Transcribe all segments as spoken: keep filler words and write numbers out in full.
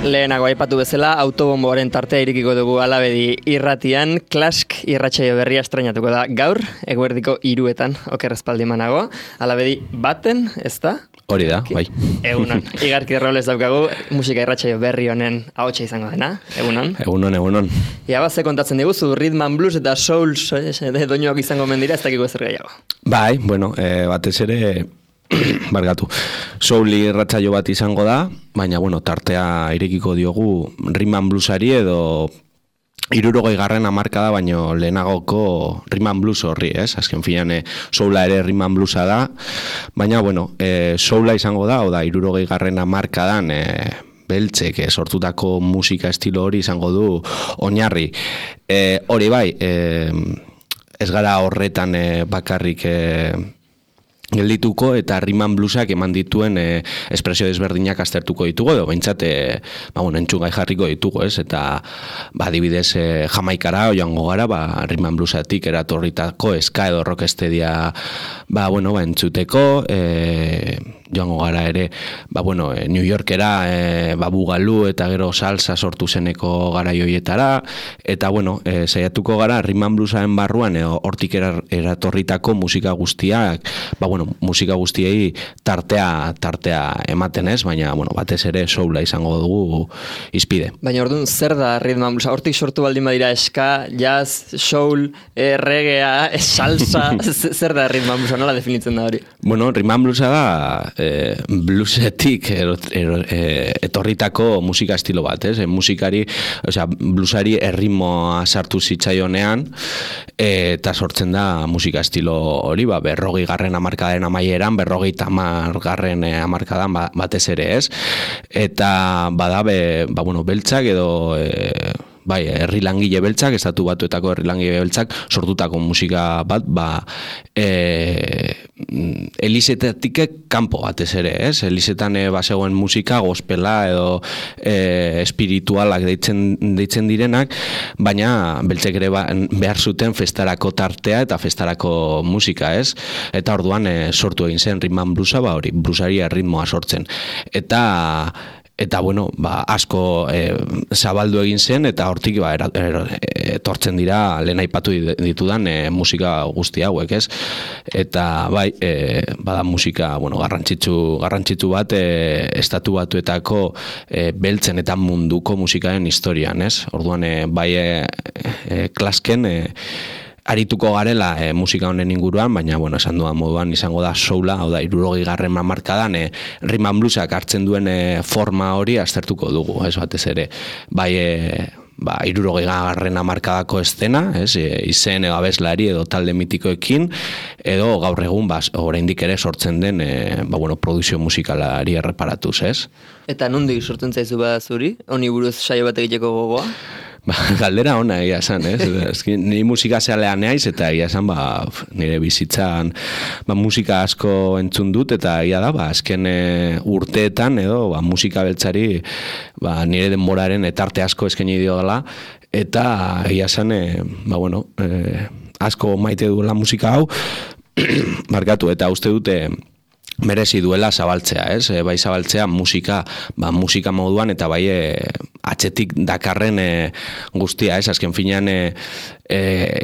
Lehenago aipatu bezala, autobomboaren tartea irikiko dugu Alabedi irratian, Klask irratsaio berria estrainatuko da gaur, eguerdiko hiruetan, oker espaldimanago. Alabedi baten, ez da? Hori da, bai. Egunon, Igarki Robles daukagu, musika irratsaio berri honen ahotsa izango dena, egunon. Egunon, egunon. Ia, bat kontatzen diguzu, rhythm and blues eta soul doinoak izango mendira, ez dakiko ezer gehiago. Bai, bueno, e, batez ere... Bargatu. Souli irratsaio bat izango da, baina bueno, tartea irekiko diogu rhythm and bluesari edo hirurogei garren hamarkada baino lehenagoko rhythm and blues horri, ez? Azken finean e, soula ere rhythm and bluesa da, baina bueno, e, soula izango da, oda hirurogei garren hamarkadan e, beltzek e, sortutako musika estilo hori izango du oinarri. E, hori bai, e, ez gara horretan e, bakarrik e, geldituko eta rhythm and bluesak eman dituen e, espresio desberdinak aztertuko ditugu edo behintzat e, ba, bueno, entxungai jarriko ditugu, ez? Eta ba, adibidez e, Jamaikara joango gara, ba, rhythm and bluesatik eratorritako eska edo rockestedia ba, bueno, ba, entzuteko, e, joango gara ere, ba, bueno, e, New Yorkera e, ba, bugalu eta gero salsa sortu zeneko garaioietara, eta bueno, e, saiatuko gara rhythm and bluesaren barruan e, hortik eratorritako musika guztiak, ba, bueno, musika guztiei tartea tartea ematen ez, baina bueno, batez ere soula izango dugu izpide. Baina orduan zer da rhythm and blues? Hortik sortu baldin badira eska, jazz, soul, eh, reggaea, salsa, zer da rhythm and blues? Nola definitzen da hori? Bueno, rhythm and bluesa da eh, bluesetik er, er, er, etorritako musika estilo bat, ez? Musikari, osea, bluesari erritmoa sartu zitzaionean eh, eta sortzen da musika estilo hori, ba, berrogei garren hamarkada amaieran, berrogeita hamar garren hamarkadan batez ere, ez? Eta badabe, ba, bueno, beltzak edo e, bai, herri langile beltzak, estatu batuetako herri langile beltzak sortutako musika bat, ba, e, elizetatik kanpo batez ere, ez? Elizetan e, bazegoen musika, gospela edo e, espiritualak deitzen, deitzen direnak, baina beltzek ere ba, behar zuten festarako tartea eta festarako musika, ez? Eta orduan e, sortu egin zen rhythm and bluesa, ba, hori, bluesari erritmoa sortzen. Eta Eta, bueno, ba, asko e, zabaldu egin zen, eta hortik ba, era, er, etortzen dira lehen aipatu ditudan e, musika guzti hauek, ez? Eta, bai, e, bada musika, bueno, garrantzitsu, garrantzitsu bat, e, estatu batuetako e, beltzen eta munduko musikaren historian, ez? Orduan, e, bai, e, e, Klasken, e, arituko garela e, musika honen inguruan, baina, bueno, esan duan moduan izango da soula, hau da, hirurogei garren hamarkadan, e, rhythm and bluesak hartzen duen e, forma hori aztertuko dugu, ez batez ere, bai, e, ba, hirurogei garren hamarkadako eszena, ez, e, izen edo abeslari edo talde mitikoekin, edo gaur egun, ba, oraindik ere sortzen den, e, ba, bueno, produkzio musikalari erreparatuz, ez? Eta nondik sortzen zaizu ba zuri? Honi buruz saio bat egiteko gogoa? Ba, galdera ona egia esan, ez? Ezki, ni musika zealean naiz eta egia esan, ba, nire bizitzan ba, musika asko entzun dut eta egia da, ba, azken e, urteetan edo ba, musika beltzari ba, nire denboraren etarte asko eskaini dio dela eta egia esan, e, ba, bueno, e, asko maite duela musika hau markatu eta uste dute merezi duela zabaltzea, ez? E, bai zabaltzea musika, ba, musika moduan eta bai e, atzetik dakarren e, guztia, ez? Azken finean e, e,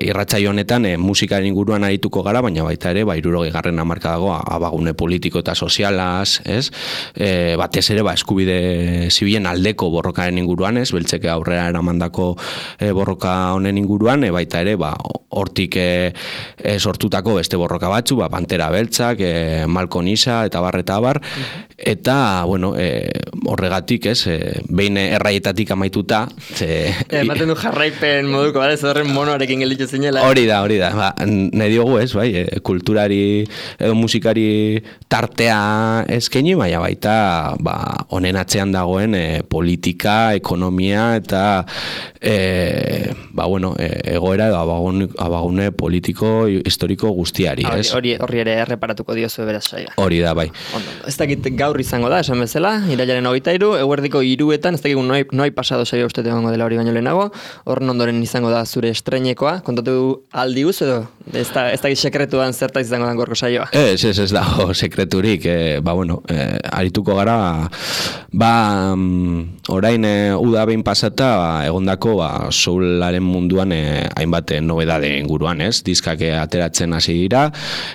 irratsaio honetan e, musikaren inguruan arituko gara, baina baita ere, ba, hirurogei garren hamarkadago abagune politiko eta sozialaz, ez? E, batez ere, ba, eskubide zibilen aldeko borrokaren inguruan, ez? Beltzeke aurrera eramandako e, borroka honen inguruan, e, baita ere, ba, hortik e, e, sortutako beste borroka batzu, ba, Pantera Beltzak, e, Malcolm Isa eta bar eta bar, eta, bueno, e, horregatik, ez, e, behin erraietatik amaituta, ze... Ematen du jarraipen moduko, bale, zerren monoarekin gelditu zinela. Hori da, hori da, ba, nahi diogu, ez, bai, e, kulturari edo musikari tartea eskaini, baina baita, ba, honen atzean dagoen e, politika, ekonomia, eta, e, ba, bueno, e, egoera edo abagune, abagune politiko, historiko guztiari, ez? Hori, hori ere erreparatuko diozu beraz saia. Hori da, bai. Ondo, ez dakit gaur izango da, esan bezala, irailaren hogeita hiru, eguerdiko hiruetan, ez dakit noi, noi pasado saio uste egongo dela hori baino lehenago, horren ondoren izango da zure estreinekoa, kontatu aldi guz edo, ez da, ez dakit sekretuan zerta izango da gorko saioa. Ez, ez, ez dago sekreturik, e, ba bueno, e, arituko gara, Ba, um, orain e, uda behin pasata ba, egondako ba, soularen munduan e, hainbat e, nobedade inguruan, ez? Diskak e, ateratzen hasi dira,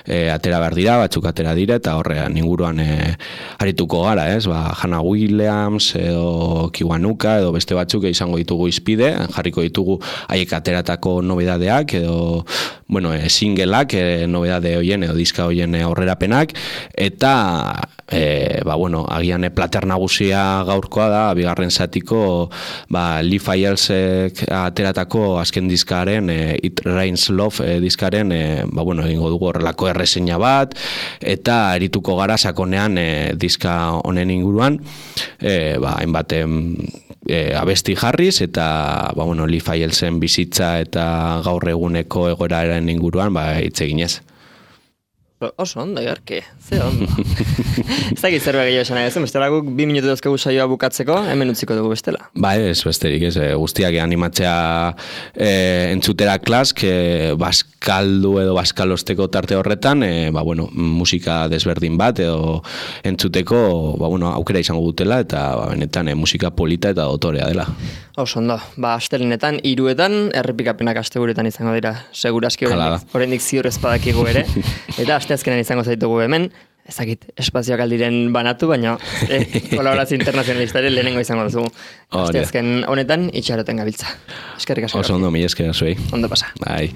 e, atera behar dira, batzuk atera dira, eta horrean inguruan e, arituko gara, ez? Ba, Hannah Williams edo Kiwanuka edo beste batzuk izango ditugu izpide, jarriko ditugu haiek ateratako nobedadeak edo bueno, e, singleak, e, nobedade hoien edo diska hoien e, aurrerapenak, eta e, ba, bueno, agian e, plater nagusia gaurkoa da, bigarren zatiko ba, Lee Failsek ateratako azken diskaren, e, It Rains Love e, diskaren, e, ba, bueno, egingo dugu horrelako erreseina bat, eta erituko gara sakonean e, diska honen inguruan, e, ba, hainbat e, abesti jarriz, eta ba, bueno, Lee Failsen bizitza eta gaur eguneko egoeraren inguruan ba, hitz eginez. Oso ondo, Igarki, ze ondo. Ez dakit zerbait gehiago esan nahi, bestela guk bi minutu dazkagu saioa bukatzeko, hemen utziko dugu bestela. Ba ez, besterik ez, guztiak animatzea e, entzutera klask, e, baskaldu edo baskalosteko tarte horretan, e, ba bueno, musika desberdin bat edo entzuteko, ba bueno, aukera izango dutela, eta ba, benetan e, musika polita eta dotorea dela. Oso ondo, ba astelenetan, hiruetan, errepikapenak asteburuetan izango dira, seguraski oraindik ziur ez badakigu ere, eta asteazkenean izango zaitugu hemen, ezakit espazioak aldiren banatu, baina eh, kolaborazio internazionalistaren lehenengo izango duzu. Asteazken honetan itxaroten gabiltza. Eskerrik asko. Oso ondo, mila esker zuei. Ondo pasa. Bai.